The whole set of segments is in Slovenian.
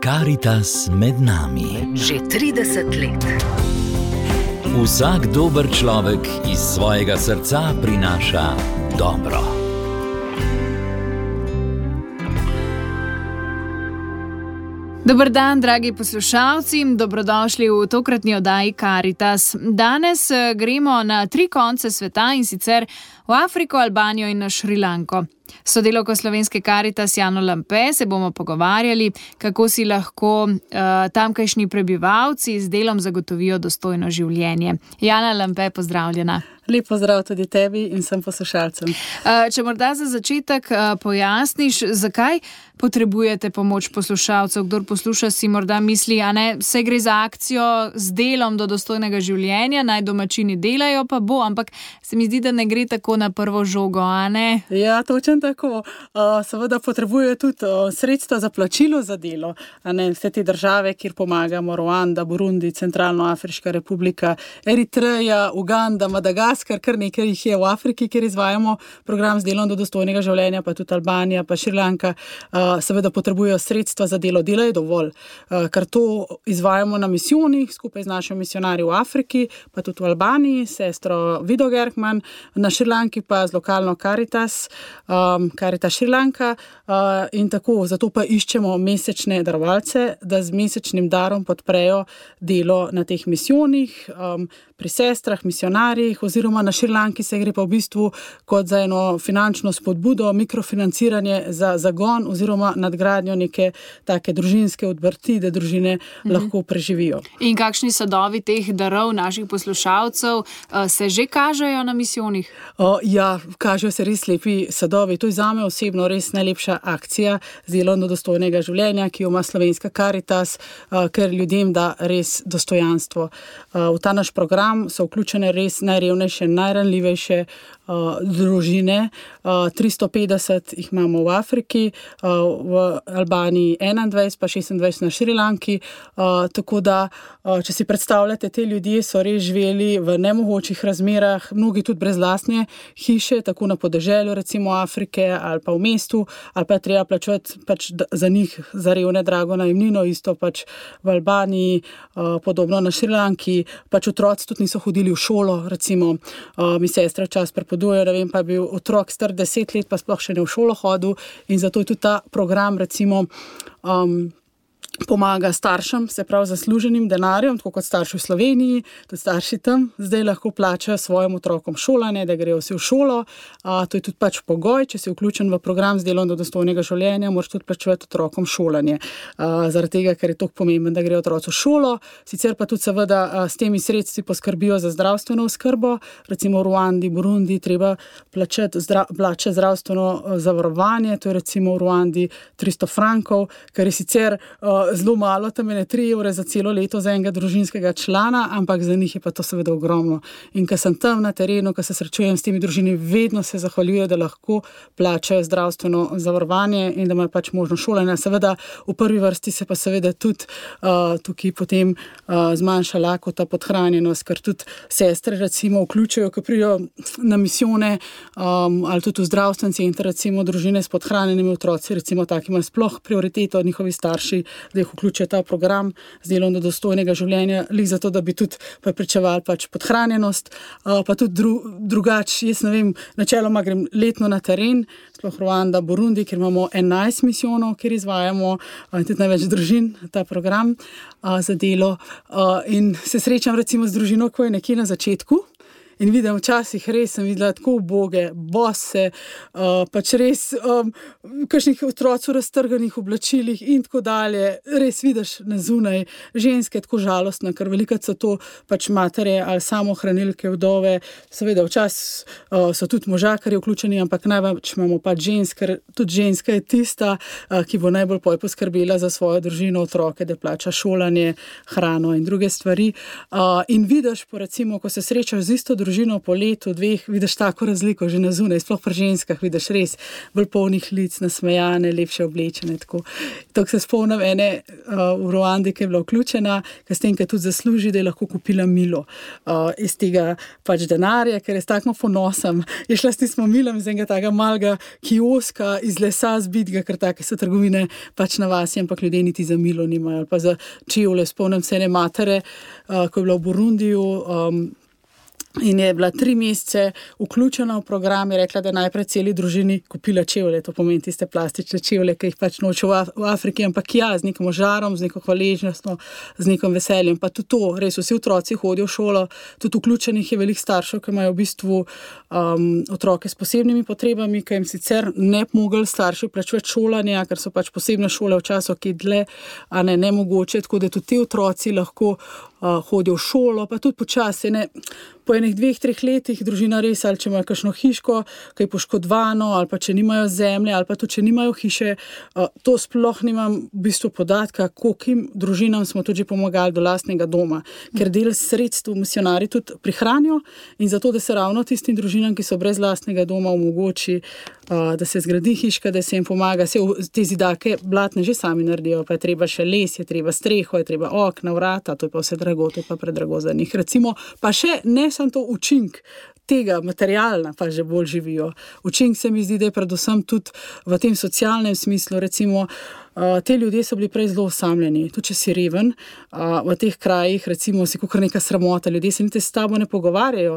Karitas med nami. Že 30 let. Vsak dober človek iz svojega srca prinaša dobro. Dober dan, dragi poslušalci, dobrodošli v tokratni oddaji Karitas. Danes gremo na 3 konce sveta, in sicer v Afriko, Albanijo in na Šrilanko. S sodelavko slovenske Karitas Jano Lampe se bomo pogovarjali, kako si lahko tamkajšnji prebivalci z delom zagotovijo dostojno življenje. Jana Lampe, pozdravljena. Lep pozdrav tudi tebi in vsem poslušalcem. Če morda za začetek pojasniš, zakaj potrebujete pomoč poslušalcev? Kdor posluša, si morda misli, saj gre za akcijo z delom do dostojnega življenja, naj domačini delajo, pa bo, ampak se mi zdi, da ne gre tako na prvo žogo, a ne? Ja, točno tako. Seveda potrebujejo tudi sredstva za plačilo za delo. Vse te države, kjer pomagamo, Ruanda, Burundi, Centralnoafriška republika, Eritreja, Uganda, Madagaskar, kar nekaj jih je v Afriki, kjer izvajamo program z delom do dostojnega življenja, pa tudi Albanija, pa Šrilanka, seveda potrebujejo sredstva za delo. Dela je dovolj, ker to izvajamo na misijonih skupaj z našimi misionarji v Afriki, pa tudi v Albaniji, sestro Vido Gerkman, na Šrilanki pa z lokalno Karitas, Karitas Šrilanka, in tako, zato pa iščemo mesečne darovalce, da z mesečnim darom podprejo delo na teh misijonih, pri sestrah, misionarjih, oziroma na Šrilanki se gre pa v bistvu kot za eno finančno spodbudo, mikrofinanciranje za zagon oziroma nadgradnjo neke take družinske odprti, da družine lahko preživijo. In kakšni sadovi teh darov naših poslušalcev se že kažejo na misijonih? Ja, kažejo se res lepi sadovi. To je zame osebno res najlepša akcija z delom do dostojnega življenja, ki jo ima slovenska Karitas, ker ljudem da res dostojanstvo. V ta naš program so vključene res najrevnejše, najranljivejše družine. 350 jih imamo v Afriki, v Albaniji 21, pa 26 na Šrilanki. Tako da, če si predstavljate, te ljudje so res živeli v nemogočih razmerah, mnogi tudi brez lastne hiše, tako na podeželju, recimo Afrike, ali pa v mestu, ali pa treba plačevati za njih, za revne, drago najemnino, isto v Albaniji, podobno na Šrilanki, otroci tudi niso hodili v šolo, recimo mi sestra čas prepodujejo, ne vem, pa je bil otrok star 10 let, pa sploh še ne v šolo hodil, in zato je tudi ta program, recimo, pomaga staršem, se pravi zasluženim denarjem, tako kot starši v Sloveniji, tudi starši tam zdaj lahko plačajo svojim otrokom šolanje, da grejo vsi v šolo. To je tudi pogoj, če si vključen v program z delom do dostojnega življenja, moraš tudi plačevati otrokom šolanje. Zaradi tega, ker je toliko pomembno, da grejo otroci v šolo, sicer pa tudi seveda s temi sredstvi poskrbijo za zdravstveno oskrbo, recimo v Ruandi, Burundi treba plačati zdravstveno zavarovanje, to je recimo v Ruandi 300 frankov, kar je sicer zelo malo, tam je 3 evre za celo leto za enega družinskega člana, ampak za njih je pa to seveda ogromno. In ko sem tam na terenu, ko se srečujem s temi družinami, vedno se zahvaljujejo, da lahko plačajo zdravstveno zavarovanje in da imajo možno šolanje. Seveda v prvi vrsti se pa seveda tudi tukaj potem zmanjša lakota, podhranjenost, ker tudi sestre recimo vključujejo, ko prijo na misijone, ali tudi v zdravstven center, recimo družine s podhranjenimi otroci, recimo taki imajo sploh prioriteto njihovi starši, da jih vključijo ta program z delom do dostojnega življenja, zato, da bi tudi preprečevali podhranjenost, pa tudi drugače, jaz ne vem, načeloma grem letno na teren, sploh Ruanda, Burundi, kjer imamo 11 misijonov, kjer izvajamo tudi največ družin ta program za delo, in se srečam recimo z družino, ko je nekje na začetku, in vidim, včasih res sem videla tako uboge, bose, res kakšnih otroci v raztrganih oblačilih in tako dalje. Res vidiš na zunaj ženske tako žalostne, ker velikokrat so to matere ali samohranilke, vdove. Seveda včasih so tudi možakarji vključeni, ampak največ imamo žensk, ker tudi ženska je tista, ki bo najbolj poskrbela za svojo družino, otroke, da plača šolanje, hrano in druge stvari. In vidiš, recimo, ko se srečaš z isto družino, družino po letu, dveh, vidiš tako razliko že na zunaj, sploh pri ženskah vidiš res bolj polnih lic, nasmejane, lepše oblečene. Tako se spomnim ene v Ruandi, ki je bila vključena, ker s tem, ker tudi zasluži, da je lahko kupila milo iz tega pač denarja, ker je s takmo ponosom. Je šla s tistim milom iz enega takega malega kioska iz lesa zbitega, ker take so trgovine pač na vasi, ampak ljudje niti za milo nimajo. Pa za čevlje, spomnim se ene matere, ko je bila v Burundiju, in je bila 3 mesece vključena v program, je rekla, da je najprej celi družini kupila čevlje, to pomeni tiste plastične čevlje, ki jih pač noče v Afriki, ampak z nekim žarom, z neko hvaležnostjo, z nekim veseljem. Pa tudi to, res vsi otroci hodijo v šolo, tudi vključenih je veliko staršev, ki imajo v bistvu otroke s posebnimi potrebami, ki jim sicer ne mogli starši plačevati šolanja, ker so pač posebne šole včasih, ki dlje, a ne mogoče, tako da tudi ti otroci lahko hodijo v šolo, pa tudi počasi, po enih 2-3 letih družina res, ali če imajo kakšno hiško, ki je poškodvano, ali pa če nimajo zemlje, ali pa tudi če nimajo hiše, to sploh nimam v bistvu podatka, koliko družinam smo tudi že pomagali do lastnega doma, ker del sredstev misionarji tudi prihranijo in zato, da se ravno tistim družinam, ki so brez lastnega doma, omogoči, da se zgradi hiška, da se jim pomaga. Te zidake blatne že sami naredijo, pa je treba še les, je treba streho, je treba okna, vrata, to je pa vse drago, to je pa predrago za njih. Recimo, pa še ne samo to učink tega materialna, pa že bolj živijo. Učink se mi zdi, da je predvsem tudi v tem socialnem smislu, recimo, te ljudje so bili prej zelo osamljeni, tudi če si reven, v teh krajih, recimo, si kakor neka sramota, ljudje se niti s tabo ne pogovarjajo.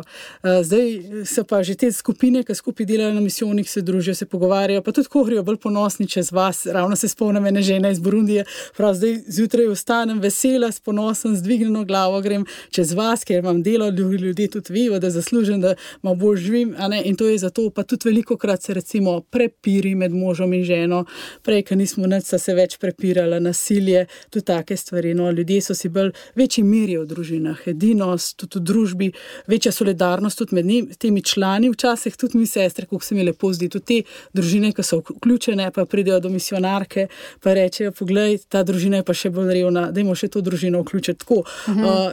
Zdaj so pa že te skupine, ki skupaj delajo na misijonih, se družijo, se pogovarjajo, pa tudi govorijo bolj ponosni čez vas. Ravno se spomnim ene žene iz Burundije, prav zdaj zjutraj vstanem vesela, s ponosom, z dvignjeno glavo grem čez vas, ker imam delo, ljudje tudi vejo, da zaslužim, da malo bolj živim, in to je zato, pa tudi velikokrat se recimo prepiri med možom in ženo, prej, ker nismo nič se več prepirala, nasilje, tudi take stvari. Ljudje so si bolj večji miri v družinah, edinost, tudi v družbi, večja solidarnost tudi med temi člani, včasih tudi mi sestre, kako se mi lepo zdi, tudi te družine, ki so vključene, pa pridejo do misionarke, pa rečejo, poglej, ta družina je pa še bolj revna, dajmo še to družino vključiti. Tako,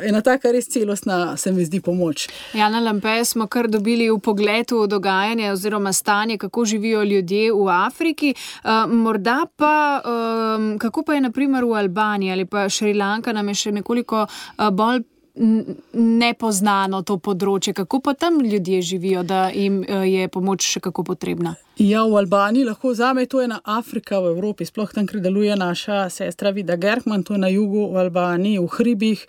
ena taka res celostna se mi zdi pomoč. Jana Lampe, smo kar dobili v pogledu dogajanje oziroma stanje, kako živijo ljudje v Afriki. Morda pa kako pa je na primer v Albaniji ali pa Šrilanka, nam je še nekoliko bolj nepoznano to področje. Kako pa tam ljudje živijo, da jim je pomoč še kako potrebna? Ja, v Albaniji lahko zame, to je ena Afrika v Evropi, sploh tam, kjer deluje naša sestra Vida Gerkman, to je na jugu v Albaniji, v hribih,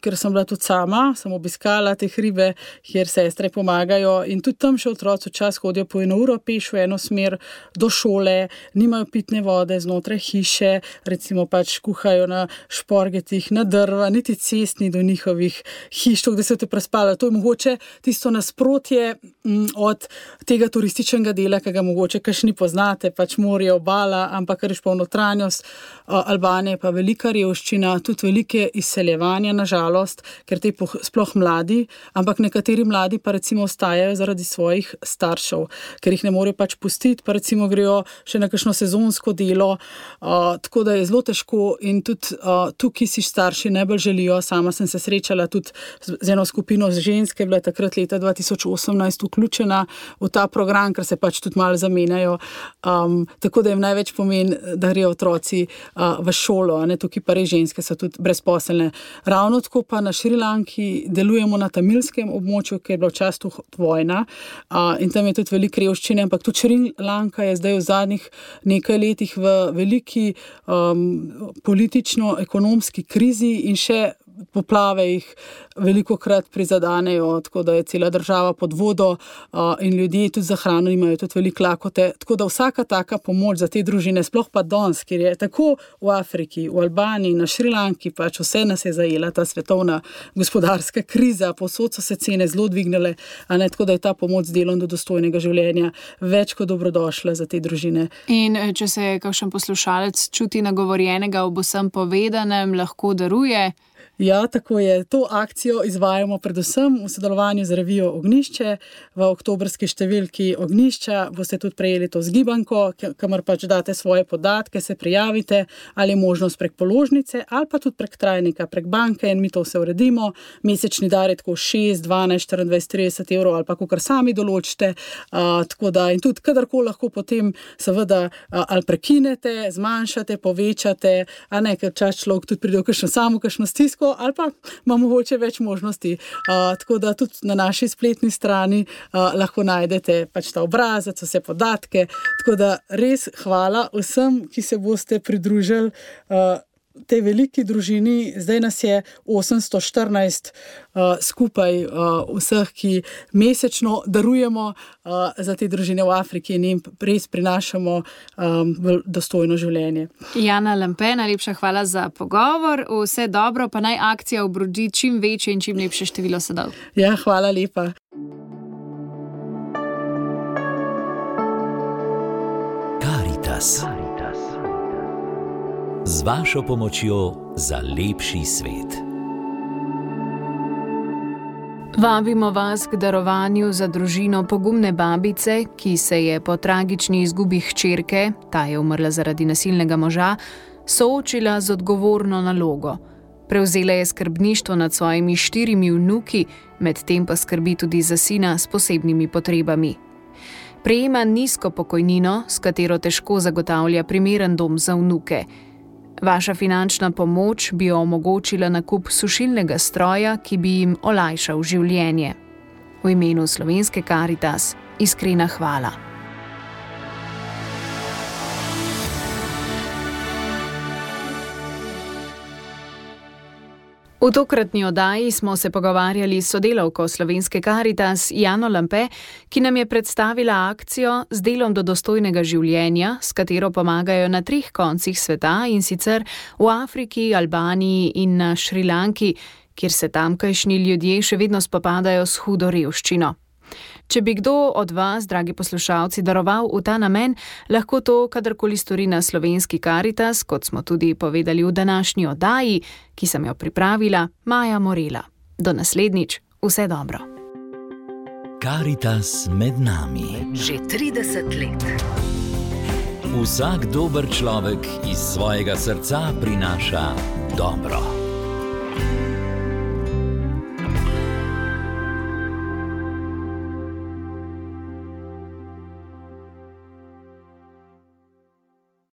ker sem bila tudi sama, sem obiskala te hribe, kjer sestre pomagajo in tudi tam še otroci čas hodijo po 1 uro peš v eno smer do šole, nimajo pitne vode znotraj hiše, recimo pač kuhajo na šporgetih, na drva, niti cest ni do njihovih hiš, da se te prespala. To je mogoče tisto nasprotje od tega turističnega dela, ki ga mogoče kakšni poznate, pač morje, obala, ampak kar je pa v notranjost Albanije, pa velika revščina, tudi velike izseljevanja, nažalost, ker te sploh mladi, ampak nekateri mladi pa recimo ostajajo zaradi svojih staršev, ker jih ne morejo pač pustiti, pa recimo grejo še na kakšno sezonsko delo, tako da je zelo težko in tudi tukaj si starši najbolj želijo. Sama sem se srečala tudi z eno skupino ženske, bila takrat leta 2018 vključena v ta program, ker se pač tudi malo zamenjajo, tako da jim največ pomeni, da grejo otroci v šolo, tukaj pa res ženske so tudi brezposelne. Ravno tako pa na Šrilanki delujemo na tamilskem območju, ker je bila včasih vojna in tam je tudi veliko revščine, ampak tudi Šrilanka je zdaj v zadnjih nekaj letih v veliki politično-ekonomski krizi in še poplave jih velikokrat prizadanejo, tako da je cela država pod vodo in ljudje tudi za hrano imajo tudi veliko lakote. Tako da vsaka taka pomoč za te družine, sploh pa danes, kjer je tako v Afriki, v Albaniji, na Šrilanki, pač vse nas je zajela ta svetovna gospodarska kriza, povsod so se cene zelo dvignile, tako da je ta pomoč z delom do dostojnega življenja več kot dobrodošla za te družine. In če se kakšen poslušalec čuti nagovorjenega ob vsem povedanem, lahko daruje? Ja, tako je. To akcijo izvajamo predvsem v sodelovanju z revijo Ognjišče. V oktobrski številki Ognjišča boste tudi prejeli to zgibanko, kamor pač date svoje podatke, se prijavite, ali je možnost prek položnice, ali pa tudi prek trajnika, prek banke in mi to vse uredimo. Mesečni dar je tako 6, 12, 24, 30 evrov ali pa kakor sami določite. Tako da in tudi kadarkoli lahko potem seveda ali prekinete, zmanjšate, povečate, a ne, ker čas človek tudi pride v kakšno stisko, ali pa ima mogoče več možnosti. Tako da tudi na naši spletni strani lahko najdete pač ta obrazec, vse podatke. Tako da res hvala vsem, ki se boste pridružili tej veliki družini. Zdaj nas je 814 skupaj vseh, ki mesečno darujemo za te družine v Afriki in jim res prinašamo dostojno življenje. Jana Lampe, najlepša hvala za pogovor. Vse dobro, pa naj akcija obrodi čim večje in čim lepše število sadov. Ja, hvala lepa. Karitas. Z vašo pomočjo za lepši svet. Vabimo vas k darovanju za družino pogumne babice, ki se je po tragični izgubi hčerke, ta je umrla zaradi nasilnega moža, soočila z odgovorno nalogo. Prevzela je skrbništvo nad svojimi 4 vnuki, medtem pa skrbi tudi za sina s posebnimi potrebami. Prejema nizko pokojnino, s katero težko zagotavlja primeren dom za vnuke. Vaša finančna pomoč bi omogočila nakup sušilnega stroja, ki bi jim olajšal življenje. V imenu Slovenske Karitas iskrena hvala. V tokratni oddaji smo se pogovarjali s sodelavko Slovenske Karitas Jano Lampe, ki nam je predstavila akcijo Z delom do dostojnega življenja, s katero pomagajo na 3 koncih sveta, in sicer v Afriki, Albaniji in na Šrilanki, kjer se tamkajšnji ljudje še vedno spopadajo s hudo revščino. Če bi kdo od vas, dragi poslušalci, daroval v ta namen, lahko to kadarkoli stori na Slovenski Karitas, kot smo tudi povedali v današnji oddaji, ki sem jo pripravila, Maja Morela. Do naslednjič, vse dobro. Karitas med nami. Že 30 let. Vsak dober človek iz svojega srca prinaša dobro.